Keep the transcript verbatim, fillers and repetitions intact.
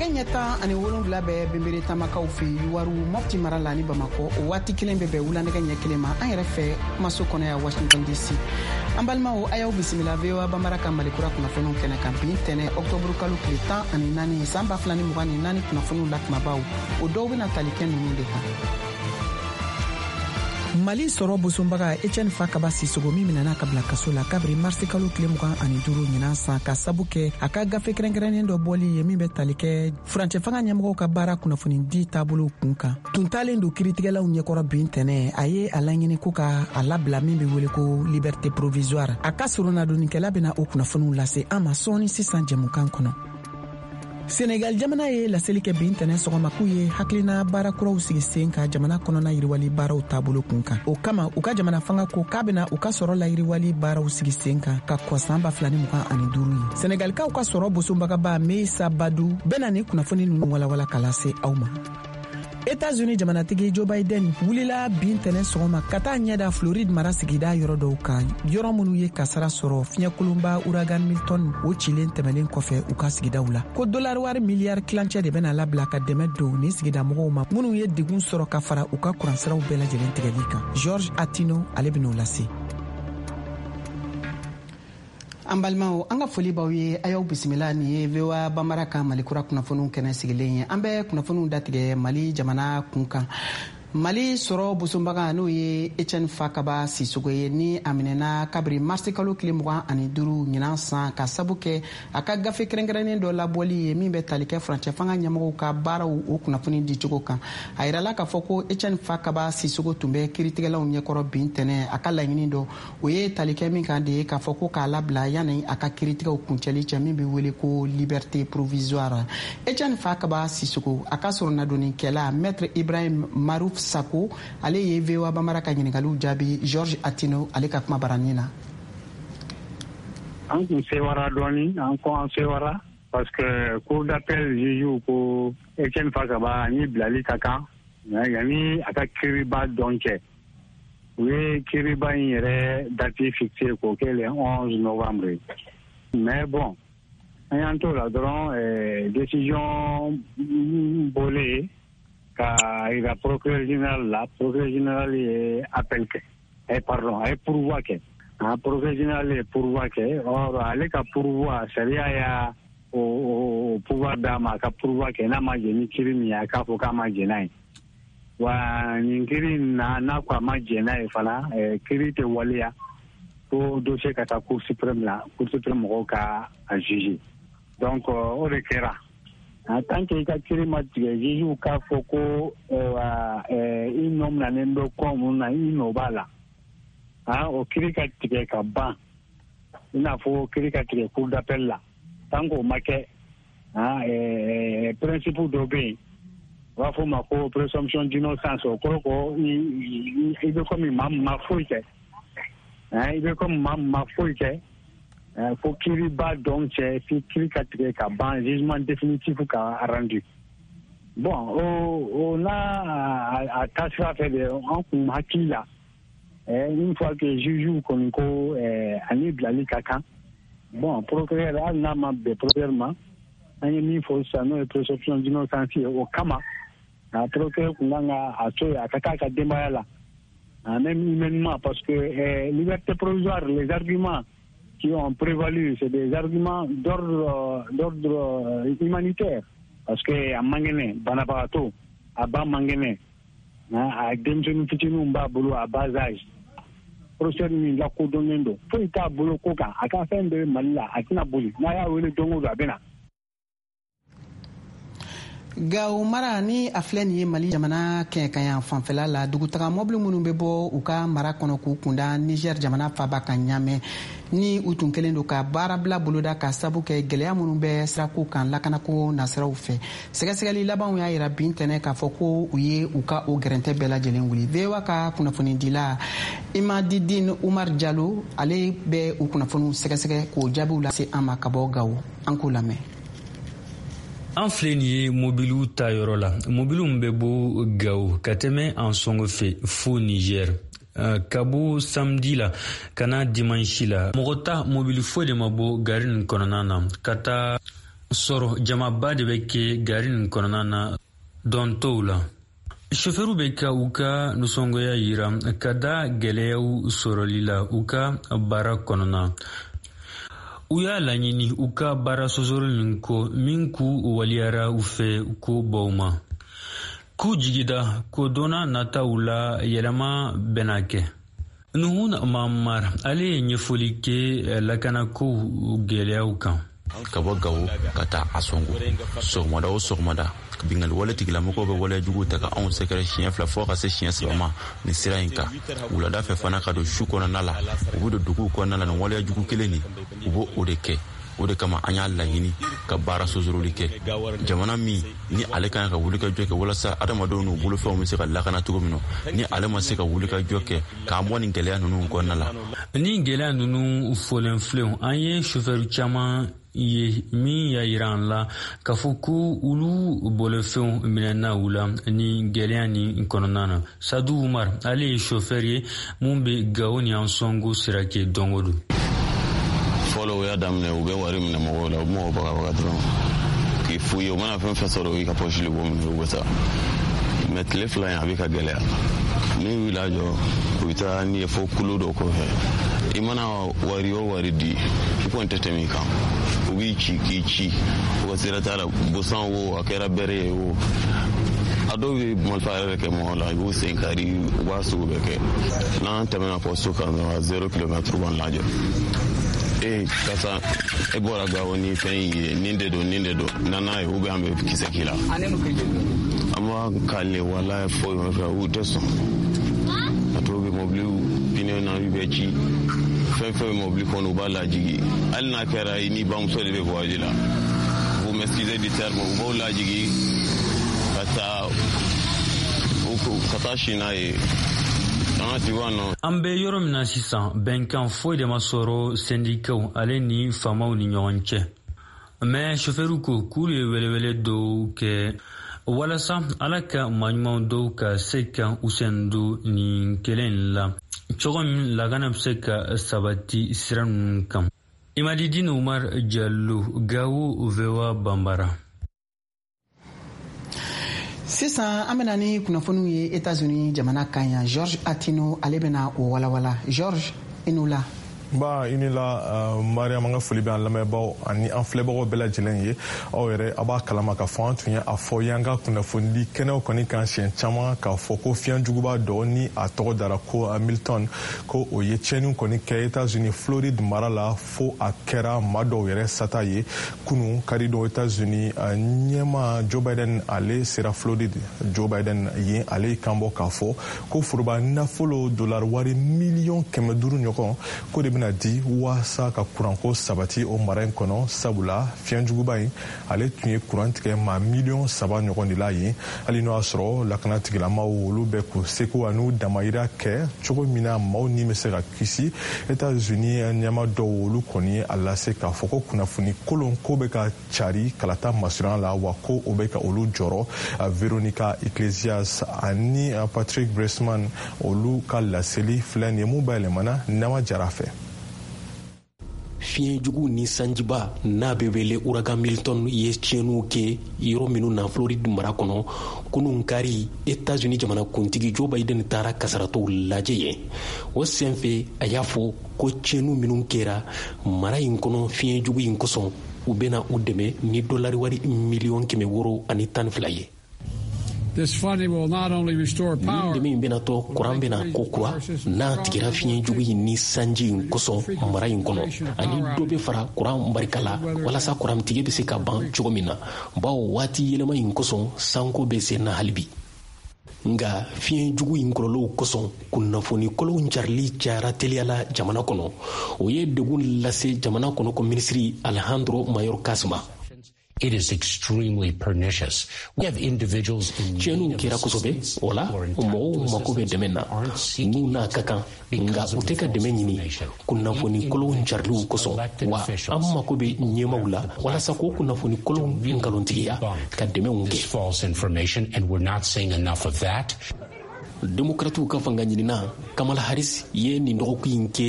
Nɛgɛ ɲɛ tan ani wolonfila bɛ Benbere Tamakaw fɛ Youwarou, Mopti mara la ni Bamakɔ. O waati kelen bɛ bɛn wula nɛgɛ ɲɛ kelen ma an yɛrɛ fɛ kumaso kɔnɔ yan Washington D C. An balimaw, a y'aw bisimila V O A Bambara ka Malikura kunnafoniw kɛnɛ kan bi tɛnɛ, ɔktɔburu kalo tile tan ani naani san ba fila ni mugan ni naani. Kunnafoniw la kumabaw, o dɔw bɛna tali kɛ ninnu de kan: Mali sɔrɔ bosonbaga Etienne Fakaba Sisogo, min minɛna ka bila kaso la kabiri marisi kalo tile mugan ani duru ɲinan san, ka sabu kɛ a ka gafe kɛrɛnkɛrɛnnen dɔ bɔli ye min bɛ tali kɛ furancɛ fanga ɲɛmɔgɔw ka baara kunnafoni di taabolo kun kan, tun talen don kiritigɛlaw ɲɛkɔrɔ bin tɛnɛ. A ye a laɲini ko ka a labila, min be wele ko liberté provisoire. A ka soronadonnikɛla bena o kunnafoniw lase an ma sɔɔni sisan jɛmukan kɔnɔ. Senegal jamana ye laseli kɛ bin tɛnɛ sɔgɔma k'u ye hakilina baara kuraw sigi sen ka jamana kɔnɔna yiriwali baaraw taabolo kun kan. O kama, u ka jamana fanga ko k'a bena u ka sɔrɔ layiriwali baaraw sigi sen kan ka kɔ san ba fila ni mugan ani duru ye. Senegalikaw ka sɔrɔ bosonbagaba Meissa Badu bena ni kunnafoni nunu walawala ka lase aw ma. Etats-Unis jamanatigi Joe Biden wulila bin tɛnɛ sɔgɔma ka taa ɲɛda Floride mara sigida yɔrɔ dɔw kan, yɔrɔ minnu ye kasara sɔrɔ fiɲɛkolonba ouragan Milton o cilen tɛmɛlen kɔfɛ u ka sigidaw la. Ko dolari wari miliyari kilancɛ de bɛna labila ka dɛmɛ don ni sigida mɔgɔw ma minnu ye degun sɔrɔ ka fara u ka kuransiraw bɛɛ lajɛlen tigɛli kan. George Atino, ale ben'o lase. An balimaw, an ka foli b'aw ye, a y'aw bisimila. Nin ye V O A Bambara ka Malikura kunnafoniw kɛnɛ sigilen ye. An bɛ kunnafoniw datigɛ Mali jamana kun kan. Mali sɔrɔ bosonbaga, n'o ye Etienne Fakaba Sisogo ye, ni a minɛna kabiri marisi kalo tile mugan ani duru ɲinan san, ka sabu kɛ a ka gafe kɛrɛnkɛrɛnnen dɔ labɔli ye min bɛ tali kɛ furancɛ fanga ɲɛmɔgɔw ka baaraw o kunnafoni dicogo kan. A yirala k'a fɔ ko Etienne Fakaba Sisogo tun bɛ kiritigɛlaw ɲɛkɔrɔ bin tɛnɛ. A ka laɲini dɔ, o ye tali kɛ min kan de ye k'a fɔ ko k'a labila yanni a ka kiritigɛw kuncɛli cɛ, min bɛ wele ko liberté provisoire. Etienne Fakaba Sisogo, a ka soronadonnikɛla Maître Ibrahim Maruf Sako, ale ye V O A Bambara ka ɲiningaliw jaabi George Atino ale ka kuma baranin na. An kun sewara dɔɔni, an ko an sewara parce que cour d'appel juge ko Etienne Fakaba ni bilali ka kan yanni a ka kiriba dɔn cɛ. U ye kiriba in yɛrɛ date fixé k'o kɛ le onze novembre. Mais bon, an y'an t'o la dɔrɔn, décision bɔlen ka yira procureur général la, procureur général ye appel kɛ, eh, pardon, a ye pourvoi kɛ. Ah, procureur général ye pourvoi kɛ. Or ale ka pourvoi, sariya y'a o, o pouvoir d'a ma a ka pourvoi kɛ. N'a ma jɛ ni kiri min ye, a k'a fɔ k'a ma jɛ n'a ye. Wa nin kiri in na, n'a ko a ma jɛ n'a ye fana, eh, kiri tɛ waleya fo dossier ka taa Cour suprême la, Cour suprême mɔgɔw ka a juger. Donc o de kɛra. En tant que i ka kiri ma tigɛ, juge k'a fɔ ko i nɔ minɛnen bɛ ko mun na, i nɔ b'a la, o kiri ka tigɛ ka ban, i n'a fɔ kiri ka tigɛ cour d'appel la, tant k'o ma kɛ, principe dɔ bɛ yen, u b'a fɔ o ma ko présomption d'innocence. O kɔrɔ ko i bɛ komi maa min ma foyi kɛ, i bɛ komi maa min ma foyi kɛ fo kiriba dɔn cɛ, fi kiri ka tigɛ ka ban, jugement définitif ka rendu. Bon, o o n'a a taasira fɛ de, an kun hakili la, une fois que juge kɔni ko ani bilali ka kan, bon, procureur, hali n'a ma bɛn procureur ma, an ye min fɔ sisan, n'o ye présomption d'innocence ye, o kama a procureur kun kan ka a to yen a ka taa a ka denbaya la, même humainement, parce que eh, liberté provisoire, les arguments qui ont prévalu, c'est des arguments d'ordre d'ordre humanitaire, parce que a man kɛnɛ, banabagatɔ, a ba man kɛnɛ, a denmisɛnnin fitininw b'a bolo à bas âge, professeur min lakodɔnnen don, foyi t'a bolo ko kan, a ka fɛn bɛɛ bɛ Mali la, a tɛna boli, n'a y'a wele don o don, a bɛ na. Gawo mara, ni a filɛ nin ye Mali jamana kɛɲɛkayan fanfɛla la, dugutaga mɔbili minnu bɛ bɔ u ka mara kɔnɔ k'u kunda Niger jamana faba kan Ɲamɛ, ni u tun kɛlen don ka baarabila boloda ka sabu kɛ gwɛlɛya minnu bɛ sirako kan lakanako nasiraw fɛ, sɛgɛsɛgɛli labanw y'a yira bin tɛnɛ k'a fɔ ko u ye u ka o gɛrɛntɛ bɛɛ lajɛlen wuli. V O A ka kunnafonidila Imadidin Umar Jalo, ale bɛ u kunnafoniw sɛgɛsɛgɛ k'o jaabiw lase an ma ka bɔ Gawo. An k'o lamɛn. An filɛ nin ye mobiliw ta yɔrɔ la, mobiliw bɛ bɔ Gawo ka tɛmɛ an sɔngɔ fɛ fo Niger. Ka bɔ samedi la ka na dimanche la, mɔgɔ ta mobili foyi de ma bɔ gari nin kɔnɔna na ka taa. Sɔrɔ jamaba de bɛ kɛ gari nin kɔnɔna na dɔn tɔw la. Sofɛriw bɛ ka u ka nisɔngoya yira ka da gɛlɛyaw sɔrɔli la u ka baara kɔnɔna. U y'a laɲini u ka baara sɔsɔli nin kɔ min k'u waliyara u fɛ ko baw ma. K'u jigida ko donna nataw la yɛlɛma bɛna kɛ. Nuhun Mamar ale ye ɲɛfɔli kɛ lakanakow gɛlɛyaw kan. Ka bɔ Gawo ka taa Ansongo sɔgɔmada o sɔgɔmada, bingali wale tigilamɔgɔw bɛ waleya juguw ta ka anw sɛgɛrɛ siɲɛ fila fɔɔ ka se siɲɛ saba ma nin sira in kan. Wulada fɛ fana ka don su kɔnɔna la, u bɛ don duguw kɔnɔna la nin waleya jugu kelen nin, u b'o o de kɛ. O de kama an y'a laɲini ka baara sosoroli kɛ. Jamana min ni ale kan ka wulikajɔ kɛ walasa adamadenw n'u bolofɛnw bɛ se ka lakana cogo min na, ni ale ma se ka wulikajɔ kɛ k'an bɔ nin gɛlɛya ninnu kɔnɔna la. Ni gɛlɛya ninnu fɔlen filɛ, an ye sofɛri caman ye min y'a yira an la k'a fɔ ko olu bolofɛnw minɛna u la ni gɛlɛya nin kɔnɔna na. Sadu Umar ale ye sofɛri ye mun bɛ Gawo ni Ansongo sira kɛ don o don. Fɔlɔ u y'a daminɛ, u bɛ wari minɛ mɔgɔw la, u bɛ mɔgɔw bagabaga dɔrɔn k'i f'u ye, u mana fɛn fɛn sɔrɔ i ka pɔsi de b'o minɛ, u bɛ taa. Mɛ tile fila in a bɛ ka gɛlɛya. N'u y'u lajɔ, u bɛ taa n'i ye fo kulo dɔ kɔfɛ. I mana wari o wari di, i kɔni tɛ tɛmɛ i kan. U b'i ci k'i ci, u ka sira t'a la, bosan wo, a kɛra bɛrɛ ye o. A dɔw bɛ marifa yɛrɛ kɛ mɔgɔ la, i b'u sen kari, u b'a sugu bɛɛ kɛ. N'an tɛmɛna pɔsi kan dɔrɔn, zéro kilomètre b'an lajɔ. E karisa, e bɔra Gawo ni fɛn in ye, nin de don, nin de don, na n'a ye, ou bien an bɛ kisɛ k'i la. An b'a kale wala foyi ma fɛ, u tɛ sɔn. A tɔw bɛ mɔbiliw pinɛ na bɛ ci, fɛn fɛn bɛ mɔbili kɔnɔ u b'a lajigi. Hali n'a kɛra i ni bamuso de bɛ voyage la, vous m'excusez du terme, u b'aw lajigi ka taa ka taa si n'a ye. An bɛ yɔrɔ min na sisan, bɛnkan foyi de ma sɔrɔ sɛndikaw ale ni faamaw ni ɲɔgɔn cɛ. Mɛ sofɛriw ko k'olu ye welewele dɔw kɛ walasa ala ka maaɲuman dɔw ka se ka u sen don nin kɛlɛ in la cogo min lakana bɛ se ka sabati sira ninnu kan. Imadidine Umar Jallo, Gawo, V O A Bambara. Sisan an bɛna ni kunnafoniw ye Etats-Unis jamana kan yan. George Atino ale bɛna o walawala. George, i ni wula. Ba i ni la uh, Mariam, an ka foli bɛ an lamɛnbaaw ani an filɛbagaw bɛɛ lajɛlen ye. Aw yɛrɛ a b'a kalama k'a fɔ an tun ye a fɔ y'an ka kunnafonidi kɛnɛw kɔni kan siɲɛ caman k'a fɔ ko fiɲɛ juguba dɔ ni a tɔgɔ dara ko Milton, ko o ye tiɲɛniw kɔni kɛ Etats-Unis Floride mara la, fo a kɛra maa dɔw yɛrɛ sata ye. Kunu karidon, Etats-Unis ɲɛma Joe Biden ale sera Floride. Joe Biden yen ale kan bɔ k'a fɔ ko foroba nafolo dollar wari miliyɔn kɛmɛ duuru ɲɔgɔn ko de bɛna di waasa ka kuranko sabati o mara in kɔnɔ, sabula fiɲɛjuguba in ale tun ye kuran tigɛ maa miliyɔn saba ɲɔgɔn de la yen. Hali n'o y'a sɔrɔ lakana tigilamaw olu bɛ k'u seko an'u damayira kɛ cogo min na maaw ni bɛ se ka kisi, Etats-Unis ɲɛma dɔw olu kɔni ye a lase k'a fɔ ko kunnafoni kolon ko bɛ ka cari kalata masurunya la, wa ko o bɛ ka olu jɔrɔ. Veronica Iglesias ani Patrick Bresman olu ka laseli filɛ nin ye mun bayɛlɛmana Nama Jara fɛ. Fiɲɛ jugu ni sanjiba n'a bɛ wele uragan Milton ye tiɲɛniw kɛ yɔrɔ minnu na Floride mara kɔnɔ kunun kari, Etats-Unis jamanakuntigi Joe Biden taara kasaratɔw lajɛ yen. O senfɛ a y'a fɔ ko tiɲɛniw minnu kɛra mara in kɔnɔ fiɲɛ jugu in kosɔn, u bɛna u dɛmɛ ni dolari wari miliyɔn kɛmɛ wɔɔrɔ ani tan ni fila ye. Nin dɛmɛ in bɛna to kuran bɛna ko kura n'a tigɛra fiɲɛ jugu in ni sanji in kosɔn mara in kɔnɔ, ani dɔ bɛ fara kuran barika la walasa kurantigɛ bɛ se ka ban cogo min na, bawo waati yɛlɛma in kosɔn sanko bɛ sen na hali bi. Nka fiɲɛ jugu in kɔlɔlɔw kosɔn kunnafoni kolonw carili cayara teliya la jamana kɔnɔ. O ye degun lase jamana kɔnɔ ko minisiri Alejandro Mayorkas ma. It is extremely pernicious. We have individuals in tiɲɛniw kɛra kosɛbɛ, o la mɔgɔw mako bɛ dɛmɛ na n'u n'a ka kan, nka u tɛ ka dɛmɛ ɲini kunnafoni kolonw cariliw kosɔn. Wa an mako bɛ ɲɛmaw la walasa k'o kunnafoni kolonw nkalontigiya ka dɛmɛw kɛ. Demokratiw ka fanga ɲinina Kamala Harris ye nin dɔgɔkun in kɛ